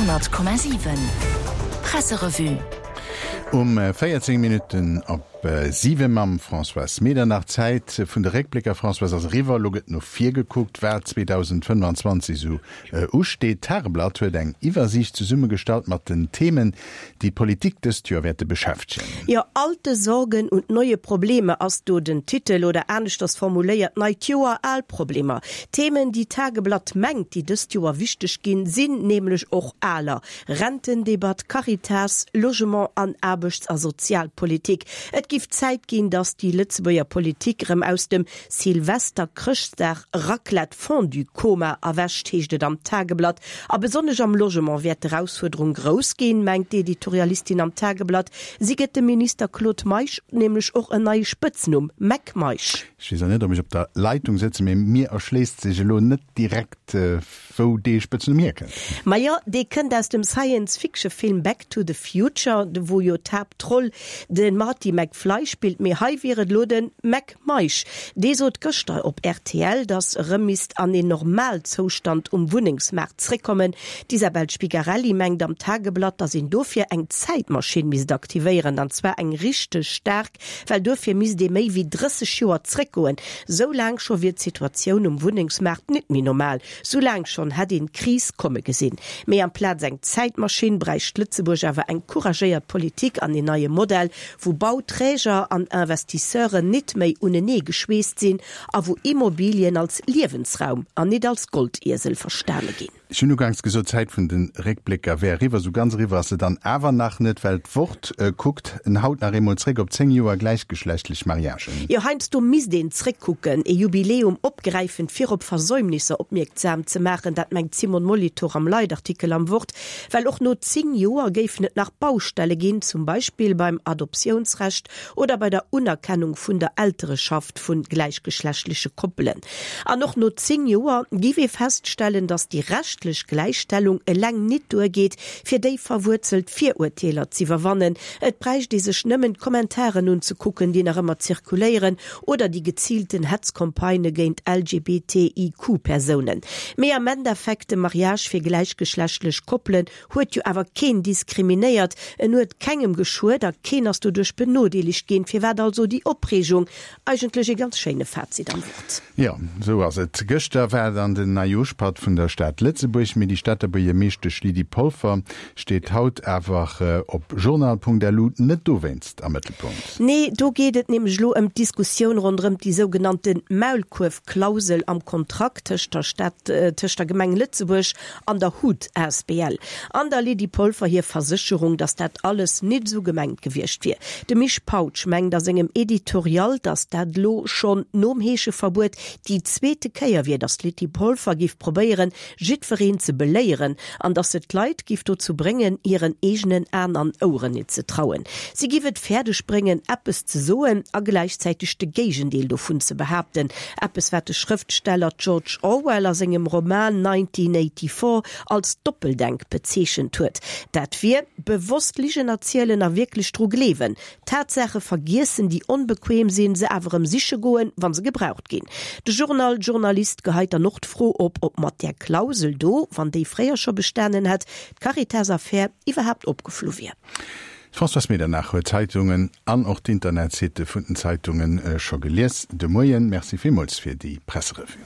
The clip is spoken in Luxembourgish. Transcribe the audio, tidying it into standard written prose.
100,7 Presserevue. Um 14 Minutten op 7 mam Françoise Medernach. D'Zäit vun de Réckblécker, Françoise, ass eriwwer. Elo gëtt no vir gekuckt, wat 2025 esou usteet. D'Tageblatt huet eng Iwwersiicht zesummegestallt mat den Themen, déi d'Politik dëst Joer wäerte beschäftegen. Jo, Alte Sorgen und neue Probleme ass do den Titel, oder aneschters formuléiert, Neit Joer, al Problemer. D'Themen, déi d'Tageblatt mengt, déi dëst Joer wichteg ginn, sinn nämlech och aler, Rentendebatt, Caritas, Logement an Aarbechts a Sozialpolitik. Et giff Zäit ginn, datt déi Lëtzebuerger Politik erëm aus dem Silvester-Chrëschtdag Raclette-Fondue-Koma erwächt, heescht et am Tageblatt. A besonnesch am Logement wäert d'Erausfuerderung grouss ginn, mengt d'Editorialistin am Tageblatt. Si gëtt dem Minister Claude Meisch nämlech och en neie Spëtznumm, Mac Meisch. Ech weess och net, ob ech op der Leitung sëtzen, mee mir erschléisst sech elo net direkt, wou dee Spëtznumm hierkënnt. Majo, dee kënnt aus dem Science-Fiction-Film Back to the Future, wou jo d'Haaptroll de Marty McFly spillt. Mee hei wier et elo de Mac Meisch. Dee sot gëschter op rtl, datt erëm misst an een Normalzoustand um Wunnengsmaart zréckkommen. D'Isabel Spigarelli mengt am Tageblatt, datt een dofir eng Zäitmaschinn misst aktivéieren, an zwar eng richteg staark, well duerfir misst ee méi wéi 30 Joer zréckgoen. Sou laang scho wier d'Situatioun um Wunnengsmaart nit méi normal. Sou laang schonn hätt een d'Kris komme gesinn. Mee amplaz eng Zäitmaschinn bräicht Lëtzebuerg awer eng couragéiert Politik an een neie Modell, wou Bauträger an Investisseuren nit méi unenee geschweesst sinn a wou Immobilien als Liewensraum an nit als Goldiesel verstane ginn. Ech hunn uganks gesot, d'Zäit vun de Réckblécker wär eriwwer. Esou ganz eriwwer ass se dann awer nach net, well d'Wort kuckt en haut nach eemol zréck op 10 Joer gläichgeschlechtlech Mariagen. Jo, heiansdo misst een zréckkucken, e Jubiläum opgräifen, fir op Versäumnisser opmierktsam ze maachen. Dat mengt d'Simone Molitor am Leitartikel am Wort. Well och no 10 Joer géifen et nach Baustelle ginn, zum Beispill beim Adoptiounsrecht oder bei der Unerkennung vun der Eltereschaft vu gläichgeschlechtleche Koppelen. An och no 10 Joer giff ee feststellen, datt déi rechtlech Gläichstellung eleng nit duergeet, fir déi verwuerzelt Virurteeler z'iwwerwannen. Et bräicht ee sech nëmmen d'Kommentaren unzekucken, déi nach ëmmer zirkuléieren, oder déi geziilten Hetzcampagnë géint LGBTIQ-Persounen. Mee am Endeffekt, de Mariage fir gläichgeschlechtlech Koppelen huet jo awer keen diskriminéiert, en huet kengem geschuet a keen ass doduerch benodeelegt ginn. Firwat also déi Opreegung? Eigentlech ee ganz schéine Fazit am Wort. Jo, esou ass et. Gëschter war dann den Neijoschpatt vun der Stad Lëtzebuerg, mee déi Stater Buergermeeschtesch Lydie Polfer steet haut awer op journal.lu net dowéinst am Mëttelpunkt. Nee, do geet et nämlech elo ëm d'Diskussioun ronderëm déi sougenannte Maulkuerfklausel am Kontrakt tëscht der Stad, tëscht der Gemeng Lëtzebuerg an der hut asbl. An der Lydie Polfer hir Versécherung, datt dat alles nit esou gemengt gewiescht wier. De Misch Pautsch mengt a sengem Editorial, datt dat elo schonn nom Heescheverbuet déi zweete Kéier wier, datt d'Lydie Polfer giff probéieren, jiddwereen ze beléieren an datt se d'Leit giff dozou bréngen, hiren eegenen Aen an Oueren nit ze trauen. Si giff et fäerdeg bréngen, eppes ze soen a gläichzäiteg de Géigendeel dovun ze behaapten, eppes wat de Schrëftsteller George Orwell a sengem Roman 1984 als Doppeldenk bezeechent huet. Dat wier, bewosst Ligen erzielen a wierklech dru gleewen, Tatsaache vergiessen, déi onbequem sinn, se awer erëm siche goen, wa se gebraucht ginn. De Journal Journalist geheit dann och d'Fro op, ob mat där Klausel do, wann déi fréier scho bestanen hätt, d'Caritas-Affär iwwerhaapt opgeflu wier. D'Françoise Medernach huet d'Zeitungen an och d'Internetsitte vun den Zeitunge scho gelies de Moien. Merci villmools fir déi Presserevue.